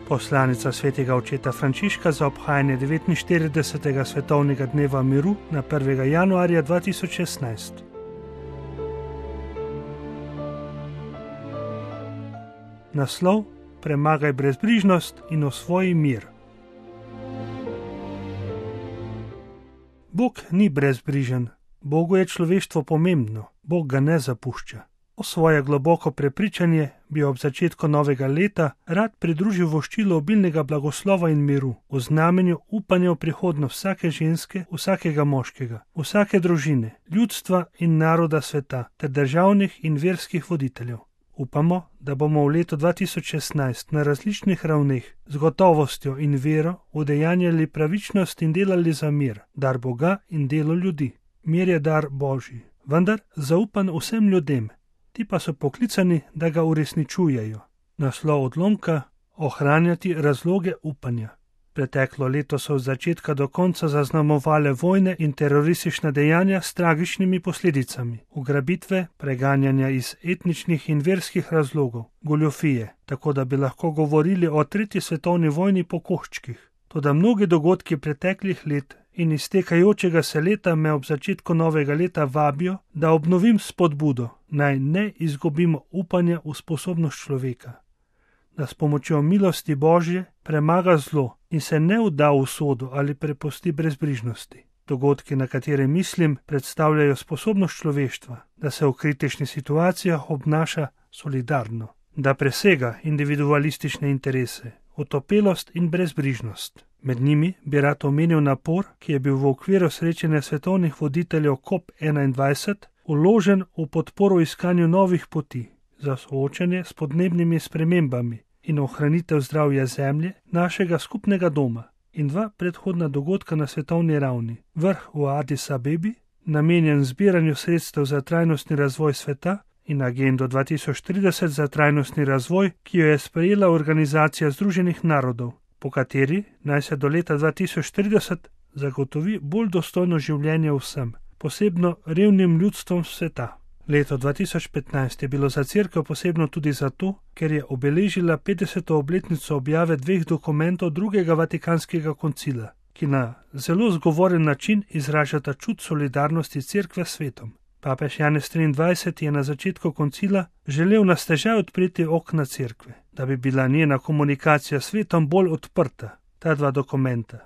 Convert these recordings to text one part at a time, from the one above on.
Poslanica svetega očeta Frančiška za obhajanje 49. svetovnega dneva miru na 1. januarja 2016. Naslov: Premagaj brezbrižnost in osvoji mir. Bog ni brezbrižen, Bogu je človeštvo pomembno, Bog ga ne zapušča. O svoje globoko prepričanje bi ob začetku novega leta rad pridružil voščilo obilnega blagoslova in miru, v znamenju upanja v prihodnost vsake ženske, vsakega moškega, vsake družine, ljudstva in naroda sveta ter državnih in verskih voditeljev. Upamo, da bomo v letu 2016 na različnih ravneh z gotovostjo in vero udejanjali pravičnost in delali za mir, dar Boga in delo ljudi. Mir je dar Božji, vendar zaupan vsem ljudem, ti pa so poklicani, da ga uresničujejo. Naslov odlomka: ohranjati razloge upanja. Preteklo leto so od začetka do konca zaznamovale vojne in teroristična dejanja s tragičnimi posledicami, ugrabitve, preganjanja iz etničnih in verskih razlogov, goljufije, tako da bi lahko govorili o 3. svetovni vojni po koščkih. Toda mnogi dogodki preteklih let in iztekajočega se leta me ob začetku novega leta vabijo, da obnovim spodbudo, naj ne izgubimo upanja v sposobnost človeka, da s pomočjo milosti Božje premaga zlo in se ne vda v usodo ali prepusti brezbrižnosti. Dogodki, na katere mislim, predstavljajo sposobnost človeštva, da se v kritičnih situacijah obnaša solidarno, da presega individualistične interese, otopelost in brezbrižnost. Med njimi bi rad omenil napor, ki je bil v okviru srečanja svetovnih voditeljev COP21 vložen v podporo iskanju novih poti za soočanje s podnebnimi spremembami in ohranitev zdravja zemlje, našega skupnega doma, in 2 predhodna dogodka na svetovni ravni. Vrh v Addis Abebi, namenjen zbiranju sredstev za trajnostni razvoj sveta, in agendo 2030 za trajnostni razvoj, ki jo je sprejela Organizacija Združenih narodov, po kateri naj se do leta 2030 zagotovi bolj dostojno življenje vsem, posebno revnim ljudstvom sveta. Leto 2015 je bilo za Cerkev posebno tudi zato, ker je obeležila 50. obletnico objave 2 dokumentov Drugega Vatikanskega koncila, ki na zelo zgovoren način izražata čut solidarnosti Cerkve s svetom. Papež Janez 23 je na začetku koncila želel na stežaj odpreti okna Cerkve, da bi bila njena komunikacija s svetom bolj odprta. Ta 2 dokumenta,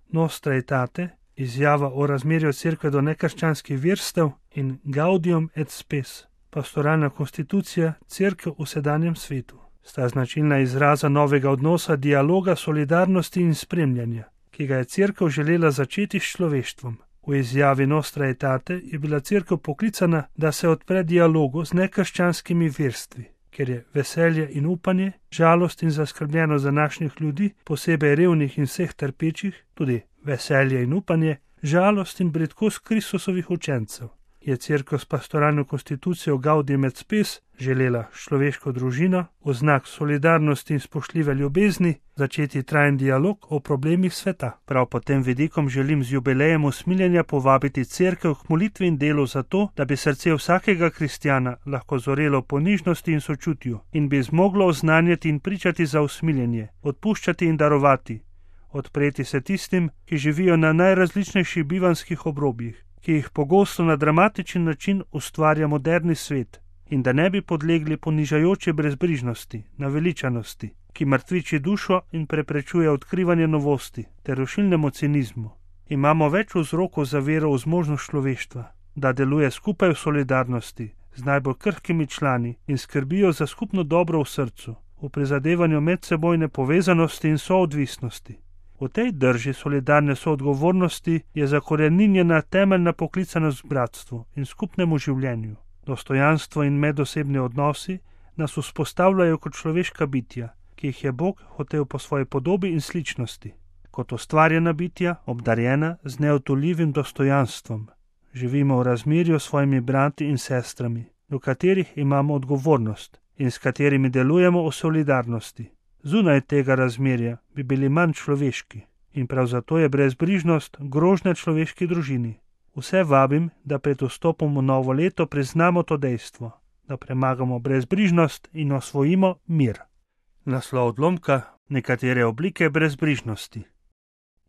Nostra Aetate, izjava o razmerju Cerkve do nekrščanskih verstev, in Gaudium et Spes, pastoralna konstitucija Cerkev v sedanjem svetu, sta značilna izraza novega odnosa, dialoga, solidarnosti in spremljanja, ki ga je Cerkev želela začeti s človeštvom. V izjavi Nostra Aetate je bila Cerkev poklicana, da se odpre dialogu z nekrščanskimi verstvi, ker je veselje in upanje, žalost in zaskrbljenost današnjih ljudi, posebej revnih in vseh trpečih, tudi veselje in upanje, žalost in bridkost Kristusovih učencev, je Cerkev s pastoralno konstitucijo Gaudium et Spes želela človeško družino v znak solidarnosti in spoštljive ljubezni začeti trajen dialog o problemih sveta. Prav pod tem vidikom želim z jubilejem usmiljenja povabiti Cerkev k molitvi in delu za to, da bi srce vsakega kristjana lahko zorelo po nižnosti in sočutju in bi zmoglo oznanjati in pričati za usmiljenje, odpuščati in darovati, odpreti se tistim, ki živijo na najrazličnejših bivanskih obrobjih, ki jih pogosto na dramatičen način ustvarja moderni svet, in da ne bi podlegli ponižajoči brezbrižnosti, naveličanosti, ki mrtviči dušo in preprečuje odkrivanje novosti ter rušilnemu cinizmu. Imamo več vzrokov za vero v zmožnost človeštva, da deluje skupaj v solidarnosti z najbolj krhkimi člani in skrbijo za skupno dobro v srcu, v prizadevanju medsebojne povezanosti in soodvisnosti. V tej drži solidarne soodgovornosti je zakoreninjena temeljna poklicanost k bratstvu in skupnemu življenju. Dostojanstvo in medosebni odnosi nas vzpostavljajo kot človeška bitja, ki jih je Bog hotel po svoji podobi in sličnosti. Kot ustvarjena bitja, obdarjena z neodtujljivim dostojanstvom. Živimo v razmerju s svojimi brati in sestrami, do katerih imamo odgovornost in s katerimi delujemo v solidarnosti. Zunaj tega razmerja bi bili manj človeški in prav zato je brezbrižnost grožnja človeški družini. Vse vabim, da pred vstopom v novo leto priznamo to dejstvo, da premagamo brezbrižnost in osvojimo mir. Naslov odlomka: Nekatere oblike brezbrižnosti.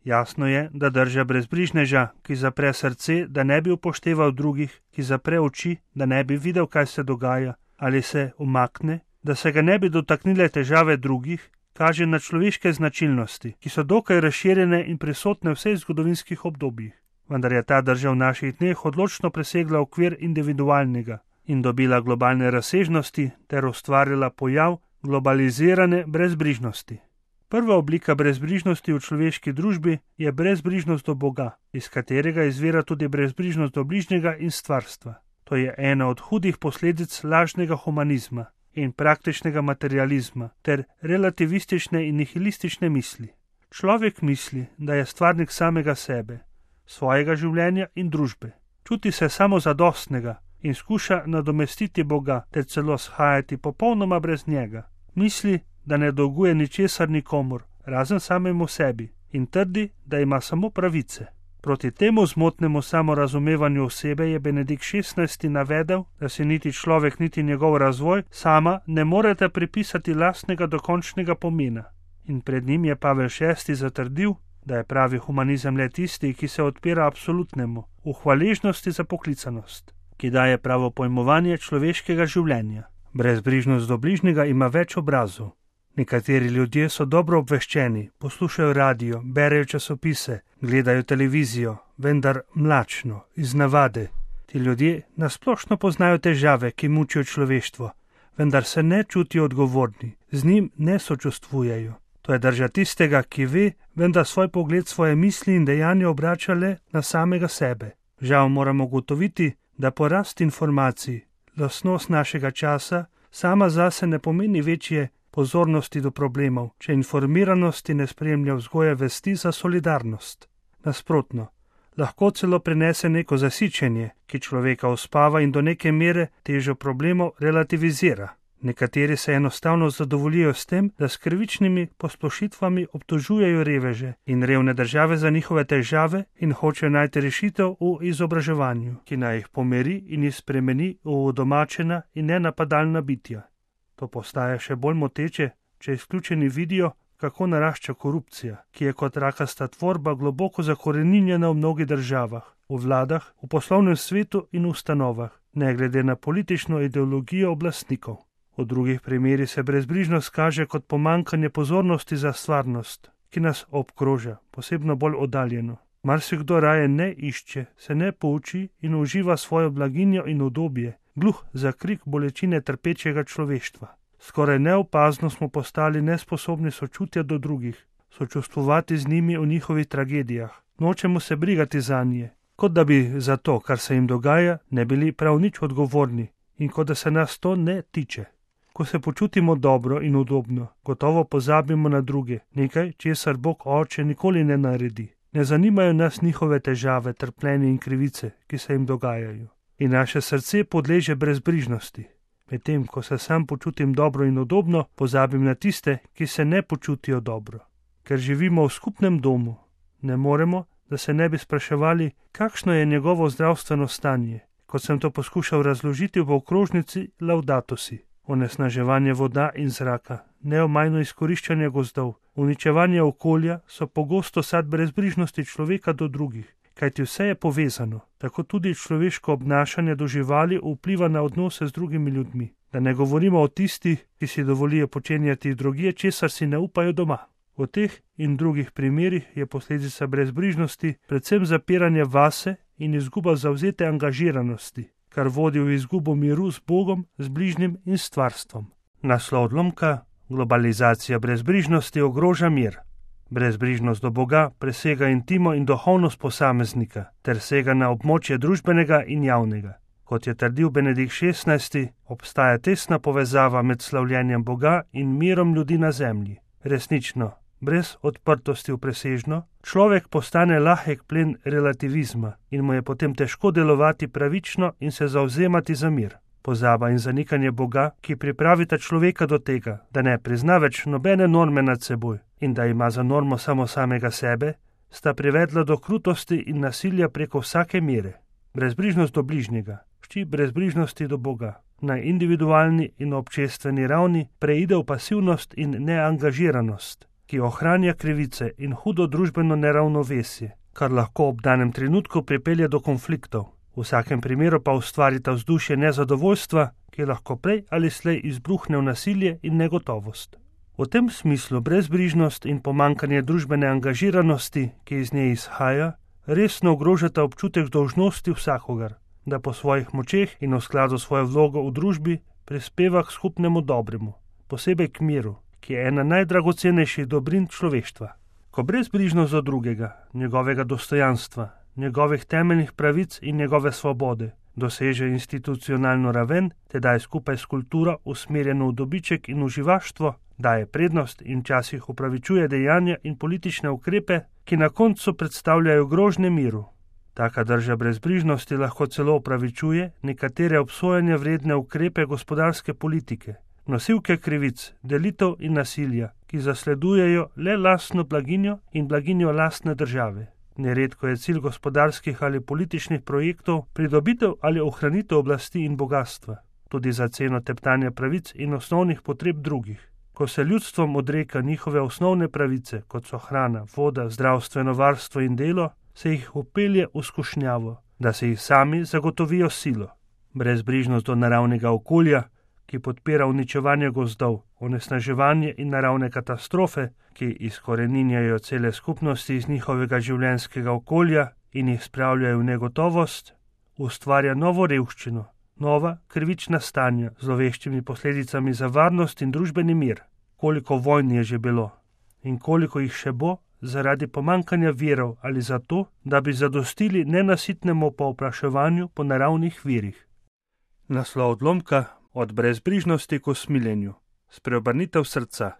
Jasno je, da drža brezbrižneža, ki zapre srce, da ne bi upošteval drugih, ki zapre oči, da ne bi videl, kaj se dogaja, ali se umakne, da se ga ne bi dotaknile težave drugih, kaže na človeške značilnosti, ki so dokaj razširjene in prisotne v vseh zgodovinskih obdobjih. Vendar je ta drža v naših dneh odločno presegla okvir individualnega in dobila globalne razsežnosti ter ustvarila pojav globalizirane brezbrižnosti. Prva oblika brezbrižnosti v človeški družbi je brezbrižnost do Boga, iz katerega izvira tudi brezbrižnost do bližnjega in stvarstva. To je ena od hudih posledic lažnega humanizma in praktičnega materializma ter relativistične in nihilistične misli. Človek misli, da je stvarnik samega sebe, svojega življenja in družbe. Čuti se samozadostnega in skuša nadomestiti Boga ter celo shajati popolnoma brez njega. Misli, da ne dolguje ničesar nikomur, razen samemu sebi, in trdi, da ima samo pravice. Proti temu zmotnemu samorazumevanju osebe je Benedikt XVI. Navedel, da si niti človek, niti njegov razvoj sama ne morete pripisati lastnega dokončnega pomena. In pred njim je Pavel VI. Zatrdil, da je pravi humanizem le tisti, ki se odpira absolutnemu, v hvaležnosti za poklicanost, ki daje pravo pojmovanje človeškega življenja. Brezbrižnost do bližnjega ima več obrazov. Nekateri ljudje so dobro obveščeni, poslušajo radio, berejo časopise, gledajo televizijo, vendar mlačno, iz navade. Ti ljudje nasplošno poznajo težave, ki mučijo človeštvo, vendar se ne čutijo odgovorni, z njim ne sočustvujejo. To je drža tistega, ki ve, vendar svoj pogled, svoje misli in dejanja obrača le na samega sebe. Žal moramo ugotoviti, da porast informacij, lastnost našega časa, sama zase ne pomeni večje pozornosti do problemov, če informiranosti ne spremlja vzgoje vesti za solidarnost. Nasprotno, lahko celo prinese neko zasičenje, ki človeka uspava in do neke mere težo problemov relativizira. Nekateri se enostavno zadovoljijo s tem, da s krivičnimi posplošitvami obtožujejo reveže in revne države za njihove težave in hočejo najti rešitev v izobraževanju, ki naj jih pomiri in jih spremeni v udomačena in nenapadalna bitja. To postaja še bolj moteče, če izključeni vidijo, kako narašča korupcija, ki je kot rakasta tvorba globoko zakoreninjena v mnogih državah, v vladah, v poslovnem svetu in ustanovah, ne glede na politično ideologijo oblastnikov. V drugih primerih se brezbrižnost kaže kot pomanjkanje pozornosti za stvarnost, ki nas obkroža, posebno bolj oddaljeno. Marsikdo raje ne išče, se ne pouči in uživa svojo blaginjo in udobje, gluh za krik bolečine trpečega človeštva. Skoraj neopazno smo postali nesposobni sočutja do drugih, sočustvovati z njimi v njihovih tragedijah. Nočemo se brigati zanje, kot da bi za to, kar se jim dogaja, ne bili prav nič odgovorni in kot da se nas to ne tiče. Ko se počutimo dobro in udobno, gotovo pozabimo na druge, nekaj, česar Bog Oče nikoli ne naredi. Ne zanimajo nas njihove težave, trpljenje in krivice, ki se jim dogajajo. In naše srce podleže brezbrižnosti. Medtem, ko se sam počutim dobro in udobno, pozabim na tiste, ki se ne počutijo dobro. Ker živimo v skupnem domu, ne moremo, da se ne bi spraševali, kakšno je njegovo zdravstveno stanje, kot sem to poskušal razložiti v okrožnici Laudato si. Onesnaževanje voda in zraka, neomajno izkoriščanje gozdov, uničevanje okolja so pogosto sad brezbrižnosti človeka do drugih, kajti vse je povezano, tako tudi človeško obnašanje do živali vpliva na odnose z drugimi ljudmi. Da ne govorimo o tistih, ki si dovolijo počenjati drugje, česar si ne upajo doma. V teh in drugih primerih je posledica brezbrižnosti predvsem zapiranje vase in izguba zavzete angažiranosti, kar vodi v izgubo miru z Bogom, z bližnjim in stvarstvom. Naslov odlomka: globalizacija brezbrižnosti ogroža mir. Brezbrižnost do Boga presega intimo in duhovnost posameznika ter sega na območje družbenega in javnega. Kot je trdil Benedikt XVI., obstaja tesna povezava med slavljenjem Boga in mirom ljudi na zemlji. Resnično, brez odprtosti v presežno, človek postane lahek plen relativizma in mu je potem težko delovati pravično in se zavzemati za mir. Pozaba in zanikanje Boga, ki pripravita človeka do tega, da ne prizna več nobene norme nad seboj in da ima za normo samo samega sebe, sta privedla do krutosti in nasilja preko vsake mere. Brezbrižnost do bližnjega, ščit brezbrižnosti do Boga, na individualni in občestveni ravni preide v pasivnost in neangažiranost. ki ohranja krivice in hudo družbeno neravnovesje, kar lahko ob danem trenutku pripelje do konfliktov. V vsakem primeru pa ustvarita vzdušje nezadovoljstva, ki lahko prej ali slej izbruhne v nasilje in negotovost. V tem smislu brezbrižnost in pomanjkanje družbene angažiranosti, ki iz nje izhaja, resno ogrožata občutek dolžnosti vsakogar, da po svojih močeh in v skladu s svojo vlogo v družbi prispeva k skupnemu dobremu, posebej k miru, ki je ena najdragocenejših dobrin človeštva. Ko brezbrižnost do drugega, njegovega dostojanstva, njegovih temeljnih pravic in njegove svobode doseže institucionalno raven, tedaj skupaj s kulturo usmerjeno v dobiček in uživaštvo, daje prednost in včasih upravičuje dejanja in politične ukrepe, ki na koncu predstavljajo grožnje miru. Taka drža brezbrižnosti lahko celo upravičuje nekatere obsojanja vredne ukrepe gospodarske politike, nosilke krivic, delitev in nasilja, ki zasledujejo le lastno blaginjo in blaginjo lastne države. Neredko je cilj gospodarskih ali političnih projektov pridobitev ali ohranitev oblasti in bogatstva, tudi za ceno teptanja pravic in osnovnih potreb drugih. Ko se ljudstvom odreka njihove osnovne pravice, kot so hrana, voda, zdravstveno varstvo in delo, se jih upelje v skušnjavo, da se jih sami zagotovijo silo. Brezbrižnost do naravnega okolja, ki podpira uničevanje gozdov, onesnaževanje in naravne katastrofe, ki izkoreninjajo cele skupnosti iz njihovega življenjskega okolja in jih spravljajo v negotovost, ustvarja novo revščino, nova krivična stanja z zloveščimi posledicami za varnost in družbeni mir. Koliko vojn je že bilo in koliko jih še bo zaradi pomankanja virov ali zato, da bi zadostili nenasitnemu povpraševanju po naravnih virih. Naslov odlomka: Od brezbrižnosti k usmiljenju. Spreobrnitev srca.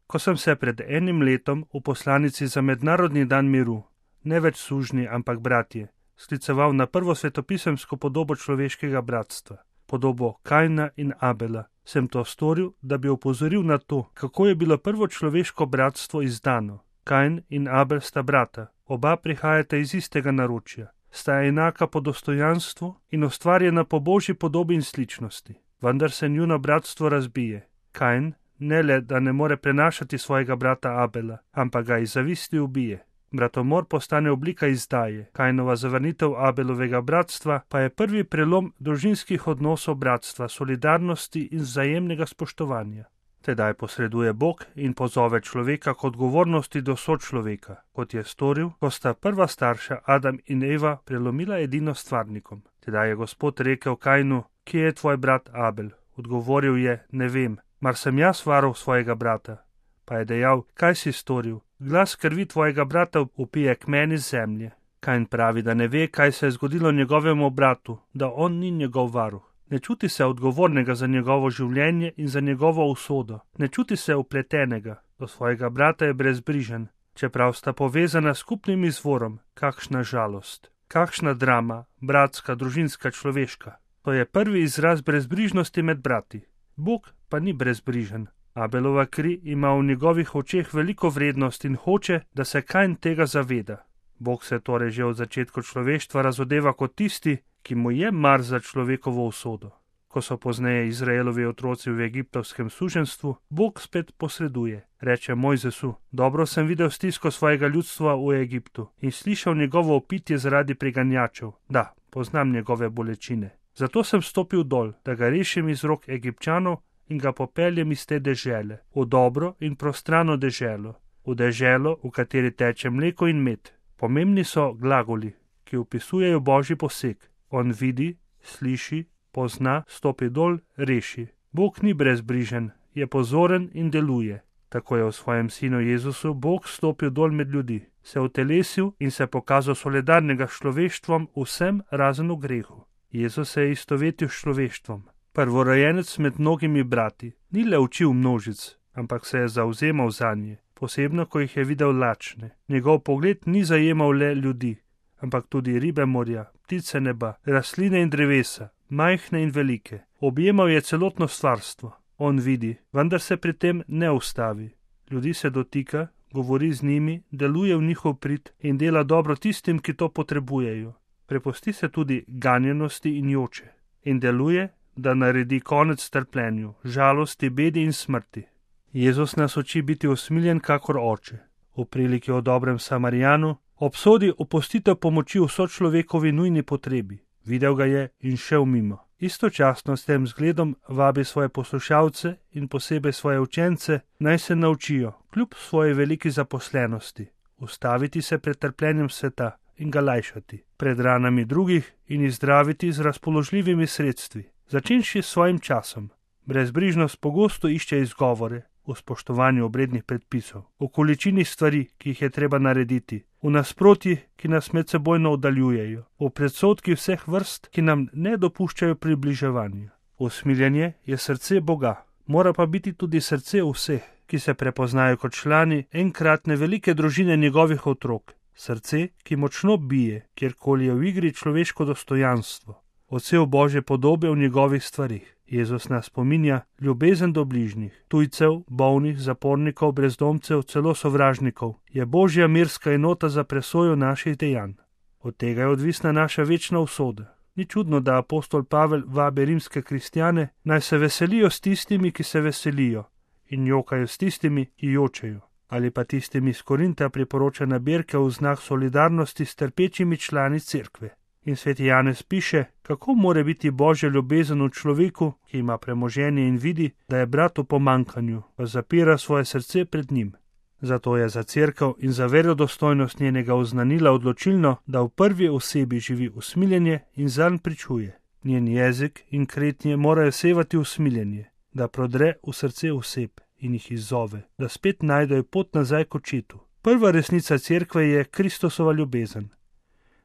Ko sem se pred enim letom v poslanici za Mednarodni dan miru, ne več sužnji, ampak bratje, skliceval na prvo svetopisemsko podobo človeškega bratstva, podobo Kaina in Abela, sem to storil, da bi opozoril na to, kako je bilo prvo človeško bratstvo izdano. Kain in Abel sta brata, oba prihajata iz istega naročja, sta enaka po dostojanstvu in ustvarjena po božji podobi in sličnosti. Vendar se njuno bratstvo razbije. Kain ne le, da ne more prenašati svojega brata Abela, ampak ga iz zavisti ubije. Bratomor postane oblika izdaje, Kainova zavrnitev Abelovega bratstva pa je prvi prelom družinskih odnosov bratstva, solidarnosti in vzajemnega spoštovanja. Tedaj posreduje Bog in pozove človeka k odgovornosti do sočloveka, kot je storil, ko sta prva starša Adam in Eva prelomila edino stvarnikom. Tedaj je Gospod rekel Kainu: Kje je tvoj brat Abel? Odgovoril je: Ne vem, mar sem jaz varuh svojega brata. Pa je dejal: Kaj si storil? Glas krvi tvojega brata vpije k meni z zemlje. Kain pravi, da ne ve, kaj se je zgodilo njegovemu bratu, da on ni njegov varuh. Ne čuti se odgovornega za njegovo življenje in za njegovo usodo. Ne čuti se upletenega. Do svojega brata je brezbrižen, čeprav sta povezana s skupnim izvorom. Kakšna žalost, kakšna drama, bratska, družinska, človeška. To je prvi izraz brezbrižnosti med brati. Bog pa ni brezbrižen. Abelova kri ima v njegovih očeh veliko vrednost in hoče, da se Kain tega zaveda. Bog se torej že od začetka človeštva razodeva kot tisti, ki mu je mar za človekovo usodo. Ko so pozneje Izraelovi otroci v egiptovskem suženjstvu, Bog spet posreduje. Reče Mojzesu: Dobro sem videl stisko svojega ljudstva v Egiptu in slišal njegovo opitje zaradi preganjačev. Da, poznam njegove bolečine. Zato sem stopil dol, da ga rešim iz rok Egipčanov in ga popeljem iz te dežele, v dobro in prostrano deželo, v deželo, v kateri teče mleko in med. Pomembni so glagoli, ki opisujejo božji poseg. On vidi, sliši, pozna, stopi dol, reši. Bog ni brezbrižen, je pozoren in deluje. Tako je v svojem sinu Jezusu Bog stopil dol med ljudi, se utelesil in se pokazal solidarnega s človeštvom vsem razen v grehu. Jezus se je istovetil s človeštvom. Prvorojenec med mnogimi brati, ni le učil množic, ampak se je zavzemal zanje, posebno ko jih je videl lačne. Njegov pogled ni zajemal le ljudi, ampak tudi ribe morja, ptice neba, rastline in drevesa, majhne in velike. Objemal je celotno stvarstvo. On vidi, vendar se pri tem ne ustavi. Ljudi se dotika, govori z njimi, deluje v njihov prid in dela dobro tistim, ki to potrebujejo. Prepusti se tudi ganjenosti in joče in deluje, da naredi konec trpljenju, žalosti, bedi in smrti. Jezus nas uči biti usmiljen kakor oče. V priliki o dobrem Samarijanu obsodi opustitev pomoči v sočlovekovi nujni potrebi. Videl ga je in šel mimo. Istočasno s tem zgledom vabi svoje poslušalce in posebej svoje učence, naj se naučijo, kljub svoji veliki zaposlenosti, ustaviti se pred trpljenjem sveta in ga lajšati, pred ranami drugih in jih zdraviti z razpoložljivimi sredstvi. Začenši s svojim časom. Brezbrižnost pogosto išče izgovore v spoštovanju obrednih predpisov, v količini stvari, ki jih je treba narediti, v nasprotjih, ki nas medsebojno oddaljujejo, v predsodkih vseh vrst, ki nam ne dopuščajo približevanja. Usmiljenje je srce Boga, mora pa biti tudi srce vseh, ki se prepoznajo kot člani enkratne velike družine njegovih otrok. Srce, ki močno bije, kjerkoli je v igri človeško dostojanstvo, odsev Božje podobe v njegovih stvarih. Jezus nas spominja ljubezen do bližnjih, tujcev, bolnih, zapornikov, brezdomcev, celo sovražnikov, je Božja mirska enota za presojo naših dejanj. Od tega je odvisna naša večna usoda. Ni čudno, da apostol Pavel vabi rimske kristjane, naj se veselijo s tistimi, ki se veselijo, in jokajo s tistimi, ki jočejo. Ali pa tistimi iz Korinta priporoča nabirke v znak solidarnosti s trpečimi člani cerkve. In sveti Janez piše, kako more biti Božja ljubezen v človeku, ki ima premoženje in vidi, da je brat v pomanjkanju, pa zapira svoje srce pred njim. Zato je za cerkev in za verodostojnost njenega oznanila odločilno, da v prvi osebi živi usmiljenje in zanj pričuje. Njen jezik in kretnje morajo sevati usmiljenje, da prodre v srce oseb in jih izzove, da spet najdejo pot nazaj k očetu. Prva resnica cerkve je Kristusova ljubezen.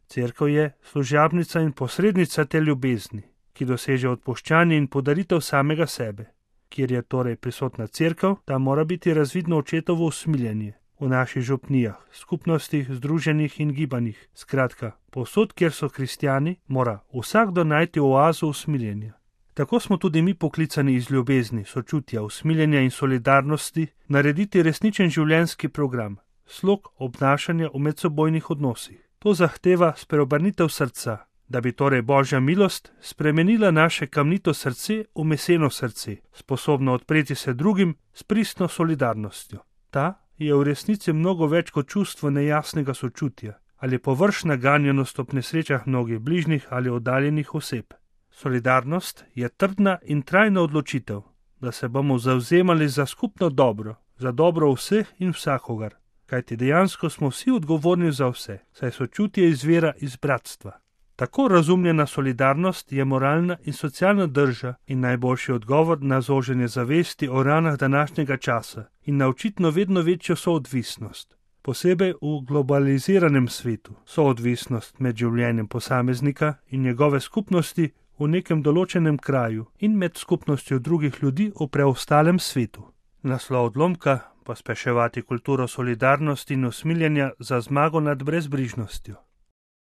Cerkev je služabnica in posrednica te ljubezni, ki doseže odpuščanje in podaritev samega sebe. Kjer je torej prisotna cerkev, tam mora biti razvidno očetovo usmiljenje. V naših župnijah, skupnostih, združenjih in gibanjih. Skratka, povsod, kjer so kristjani, mora vsakdo najti oazo usmiljenja. Tako smo tudi mi poklicani iz ljubezni, sočutja, usmiljenja in solidarnosti narediti resničen življenjski program, slog obnašanja v medsebojnih odnosih. To zahteva spreobrnitev srca, da bi torej Božja milost spremenila naše kamnito srce v meseno srce, sposobno odpreti se drugim s pristno solidarnostjo. Ta je v resnici mnogo več kot čustvo nejasnega sočutja ali površna ganjenost ob nesrečah mnogih bližnjih ali oddaljenih oseb. Solidarnost je trdna in trajna odločitev, da se bomo zavzemali za skupno dobro, za dobro vseh in vsakogar. Kajti dejansko smo vsi odgovorni za vse, saj sočutje izvira iz bratstva. Tako razumljena solidarnost je moralna in socialna drža in najboljši odgovor na zoženje zavesti o ranah današnjega časa in na očitno vedno večjo soodvisnost. Posebej v globaliziranem svetu soodvisnost med življenjem posameznika in njegove skupnosti v nekem določenem kraju in med skupnostjo drugih ljudi v preostalem svetu. Naslov odlomka: pospeševati kulturo solidarnosti in usmiljenja za zmago nad brezbrižnostjo.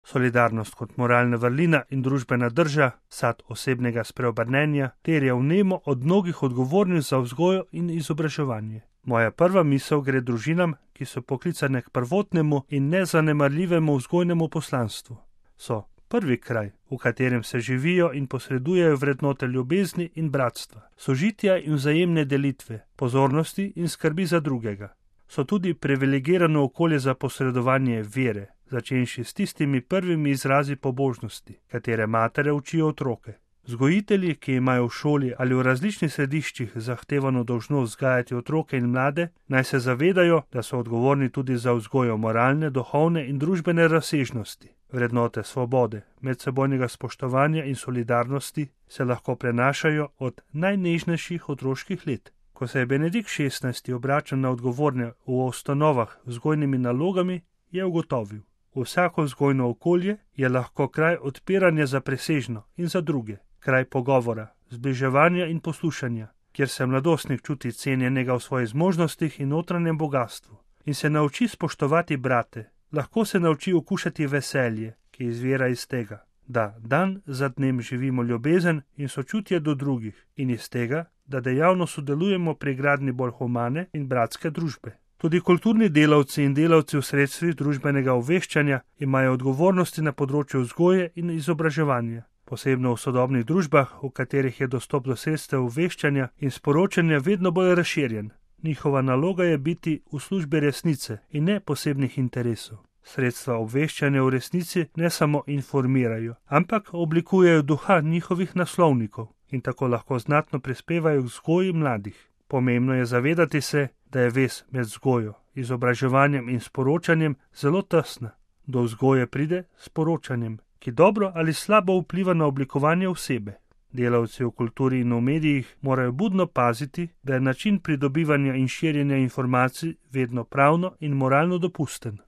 Solidarnost kot moralna vrlina in družbena drža, sad osebnega spreobrnenja, terja vnemo od mnogih odgovornih za vzgojo in izobraževanje. Moja prva misel gre družinam, ki so poklicane k prvotnemu in nezanemarljivemu vzgojnemu poslanstvu. So prvi kraj, v katerem se živijo in posredujejo vrednote ljubezni in bratstva, sožitja in vzajemne delitve, pozornosti in skrbi za drugega. So tudi privilegirano okolje za posredovanje vere, začenši s tistimi prvimi izrazi pobožnosti, katere matere učijo otroke. Vzgojitelji, ki imajo v šoli ali v različnih središčih zahtevano dolžnost vzgajati otroke in mlade, naj se zavedajo, da so odgovorni tudi za vzgojo moralne, duhovne in družbene razsežnosti. Vrednote svobode, medsebojnega spoštovanja in solidarnosti se lahko prenašajo od najnežnejših otroških let. Ko se je Benedikt XVI. Obračal na odgovorne v ustanovah z vzgojnimi nalogami, je ugotovil: vsako vzgojno okolje je lahko kraj odpiranja za presežno in za druge, kraj pogovora, zbliževanja in poslušanja, kjer se mladostnik čuti cenjenega v svojih zmožnostih in notranjem bogastvu in se nauči spoštovati brate. Lahko se nauči okušati veselje, ki izvira iz tega, da dan za dnem živimo ljubezen in sočutje do drugih in iz tega, da dejavno sodelujemo pri gradnji bolj humane in bratske družbe. Tudi kulturni delavci in delavci v sredstvih družbenega obveščanja imajo odgovornosti na področju vzgoje in izobraževanja, posebno v sodobnih družbah, v katerih je dostop do sredstev obveščanja in sporočanja vedno bolj razširjen. Njihova naloga je biti v službi resnice in ne posebnih interesov. Sredstva obveščanja v resnici ne samo informirajo, ampak oblikujejo duha njihovih naslovnikov in tako lahko znatno prispevajo k vzgoji mladih. Pomembno je zavedati se, da je vez med vzgojo, izobraževanjem in sporočanjem zelo tesna. Do vzgoje pride s sporočanjem, ki dobro ali slabo vpliva na oblikovanje osebe. Delavci v kulturi in v medijih morajo budno paziti, da je način pridobivanja in širjenja informacij vedno pravno in moralno dopusten.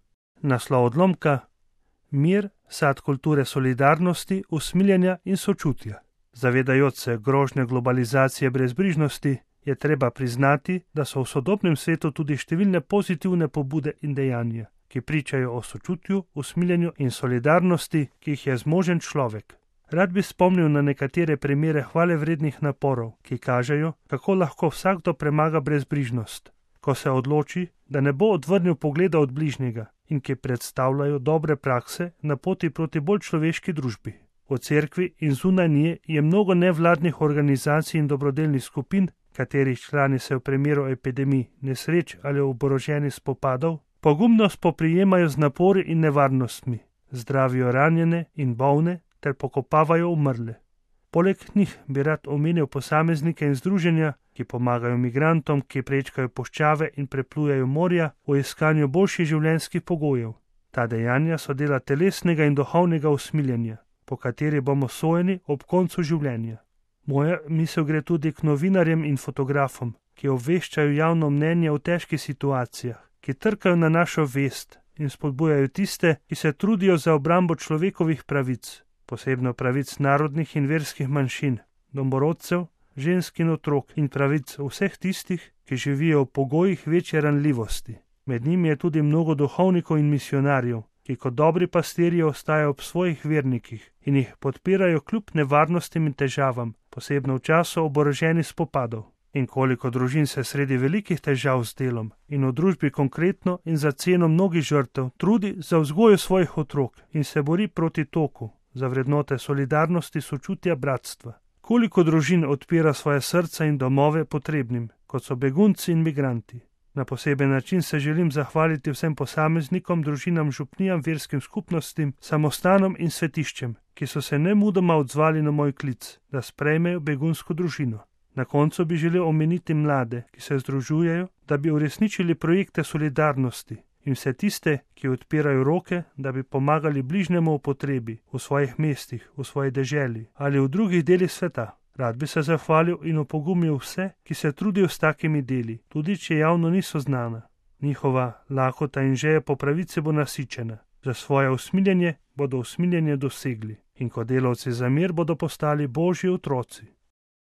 Naslov odlomka: Mir, sad kulture solidarnosti, usmiljenja in sočutja. Zavedajoč se grožnje globalizacije brezbrižnosti, je treba priznati, da so v sodobnem svetu tudi številne pozitivne pobude in dejanja, ki pričajo o sočutju, usmiljenju in solidarnosti, ki jih je zmožen človek. Rad bi spomnil na nekatere primere hvalevrednih naporov, ki kažejo, kako lahko vsakdo premaga brezbrižnost, ko se odloči, da ne bo odvrnil pogleda od bližnjega, in ki predstavljajo dobre prakse na poti proti bolj človeški družbi. V cerkvi in zunaj nje je mnogo nevladnih organizacij in dobrodelnih skupin, katerih člani se v primeru epidemij, nesreč ali oboroženih spopadov pogumno spoprijemajo z napori in nevarnostmi, zdravijo ranjene in bolne ter pokopavajo umrle. Poleg njih bi rad omenil posameznike in združenja, ki pomagajo migrantom, ki prečkajo puščave in preplujejo morja v iskanju boljših življenjskih pogojev. Ta dejanja so dela telesnega in duhovnega usmiljenja, po kateri bomo sojeni ob koncu življenja. Moja misel gre tudi k novinarjem in fotografom, ki obveščajo javno mnenje v težkih situacijah, ki trkajo na našo vest in spodbujajo tiste, ki se trudijo za obrambo človekovih pravic, posebno pravic narodnih in verskih manjšin, domorodcev, žensk in otrok in pravic vseh tistih, ki živijo v pogojih večje ranljivosti. Med njimi je tudi mnogo duhovnikov in misionarjev, ki kot dobri pastirji ostajajo ob svojih vernikih in jih podpirajo kljub nevarnostim in težavam, posebno v času oboroženih spopadov. In koliko družin se sredi velikih težav z delom in v družbi konkretno in za ceno mnogih žrtev trudi za vzgojo svojih otrok in se bori proti toku, za vrednote solidarnosti, sočutja, bratstva. Koliko družin odpira svoje srca in domove potrebnim, kot so begunci in migranti. Na poseben način se želim zahvaliti vsem posameznikom, družinam, župnijam, verskim skupnostim, samostanom in svetiščem, ki so se nemudoma odzvali na moj klic, da sprejmejo begunsko družino. Na koncu bi želel omeniti mlade, ki se združujejo, da bi uresničili projekte solidarnosti, in vse tiste, ki odpirajo roke, da bi pomagali bližnjemu v potrebi, v svojih mestih, v svoji deželi ali v drugih delih sveta. Rad bi se zahvalil in opogumil vse, ki se trudijo s takimi deli, tudi če javno niso znana. Njihova lakota in želja po pravici bo nasičena. Za svoje usmiljenje bodo usmiljenje dosegli in kot delavci za mir bodo postali Božji otroci.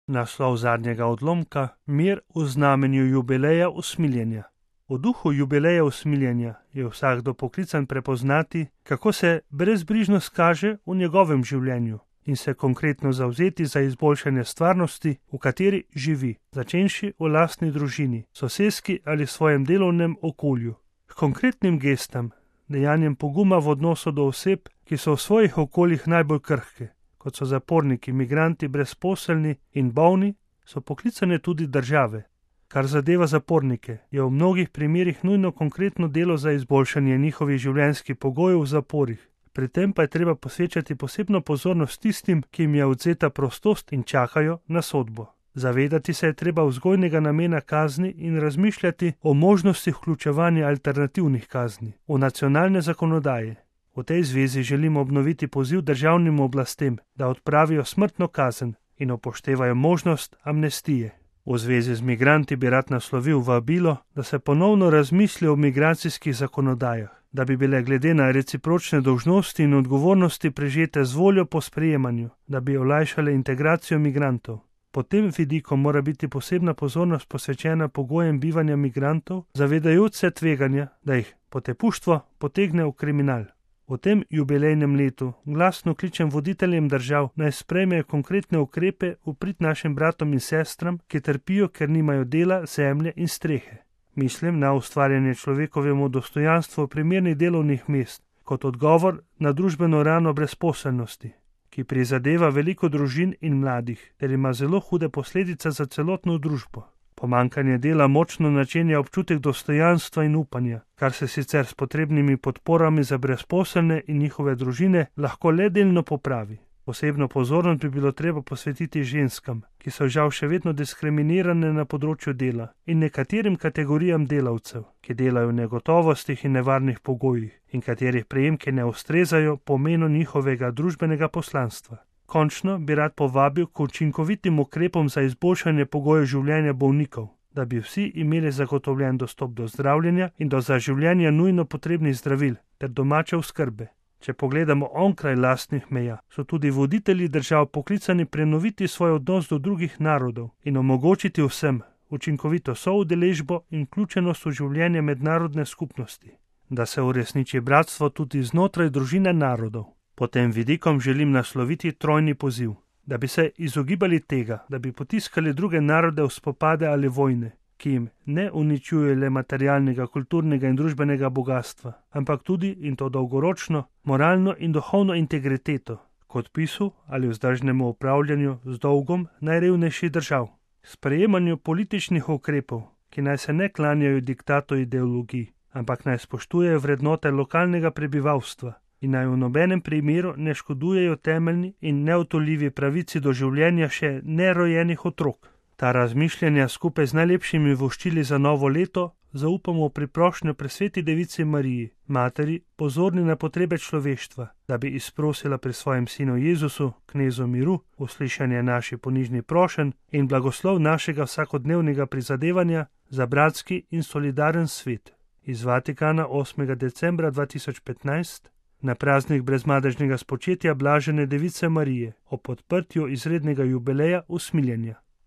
Naslov zadnjega odlomka: Mir v znamenju jubileja usmiljenja. V duhu jubileja usmiljenja je vsakdo poklican prepoznati, kako se brezbrižnost kaže v njegovem življenju in se konkretno zavzeti za izboljšanje stvarnosti, v kateri živi, začenši v lastni družini, soseski ali svojem delovnem okolju. K konkretnim gestam, dejanjem poguma v odnosu do oseb, ki so v svojih okoljih najbolj krhke, kot so zaporniki, migranti, brezposelni in bolni, so poklicane tudi države. Kar zadeva zapornike, je v mnogih primerih nujno konkretno delo za izboljšanje njihovih življenjskih pogojev v zaporih. Pri tem pa je treba posvečati posebno pozornost tistim, ki jim je odvzeta prostost in čakajo na sodbo. Zavedati se je treba vzgojnega namena kazni in razmišljati o možnosti vključevanja alternativnih kazni v nacionalne zakonodaje. V tej zvezi želimo obnoviti poziv državnim oblastem, da odpravijo smrtno kazen in upoštevajo možnost amnestije. V zvezi z migranti bi rad naslovil vabilo, da se ponovno razmisli o migracijskih zakonodajah, da bi bile glede na recipročne dolžnosti in odgovornosti prežete z voljo po sprejemanju, da bi olajšale integracijo migrantov. Pod tem vidikom mora biti posebna pozornost posvečena pogojem bivanja migrantov, zavedajoč se tveganja, da jih potepuštvo potegne v kriminal. V tem jubilejnem letu glasno kličem voditeljem držav, naj sprejmejo konkretne ukrepe v prid našim bratom in sestram, ki trpijo, ker nimajo dela, zemlje in strehe. Mislim na ustvarjanje človekovemu dostojanstvu primernih delovnih mest, kot odgovor na družbeno rano brezposelnosti, ki prizadeva veliko družin in mladih, ter ima zelo hude posledice za celotno družbo. Pomanjkanje dela močno načenja občutek dostojanstva in upanja, kar se sicer s potrebnimi podporami za brezposelne in njihove družine lahko le delno popravi. Posebno pozornost bi bilo treba posvetiti ženskam, ki so žal še vedno diskriminirane na področju dela, in nekaterim kategorijam delavcev, ki delajo v negotovostih in nevarnih pogojih in katerih prejemki ne ustrezajo pomenu njihovega družbenega poslanstva. Končno bi rad povabil k učinkovitim ukrepom za izboljšanje pogojev življenja bolnikov, da bi vsi imeli zagotovljen dostop do zdravljenja in do za življenje nujno potrebnih zdravil ter domače oskrbe. Če pogledamo onkraj lastnih meja, so tudi voditelji držav poklicani prenoviti svoj odnos do drugih narodov in omogočiti vsem učinkovito soudeležbo in vključenost v življenje mednarodne skupnosti, da se uresniči bratstvo tudi znotraj družine narodov. Pod tem vidikom želim nasloviti trojni poziv, da bi se izogibali tega, da bi potiskali druge narode v spopade ali vojne, ki jim ne uničuje le materialnega, kulturnega in družbenega bogatstva, ampak tudi, in to dolgoročno, moralno in duhovno integriteto, kot pisu ali vzdržnemu upravljanju z dolgom najrevnejših držav. Sprejemanju političnih ukrepov, ki naj se ne klanjajo diktatu ideologij, ampak naj spoštujejo vrednote lokalnega prebivalstva in naj v nobenem primeru ne škodujejo temeljni in neodtujljivi pravici do življenja še nerojenih otrok. Ta razmišljanja skupaj z najlepšimi voščili za novo leto zaupamo v priprošnjo presveti devici Mariji, materi, pozorni na potrebe človeštva, da bi izprosila pri svojem sinu Jezusu, knezu miru, uslišanje naši ponižni prošenj in blagoslov našega vsakodnevnega prizadevanja za bratski in solidaren svet. Iz Vatikana 8. decembra 2015 na praznik brezmadežnega spočetja blažene device Marije ob odprtju izrednega jubileja usmiljenja.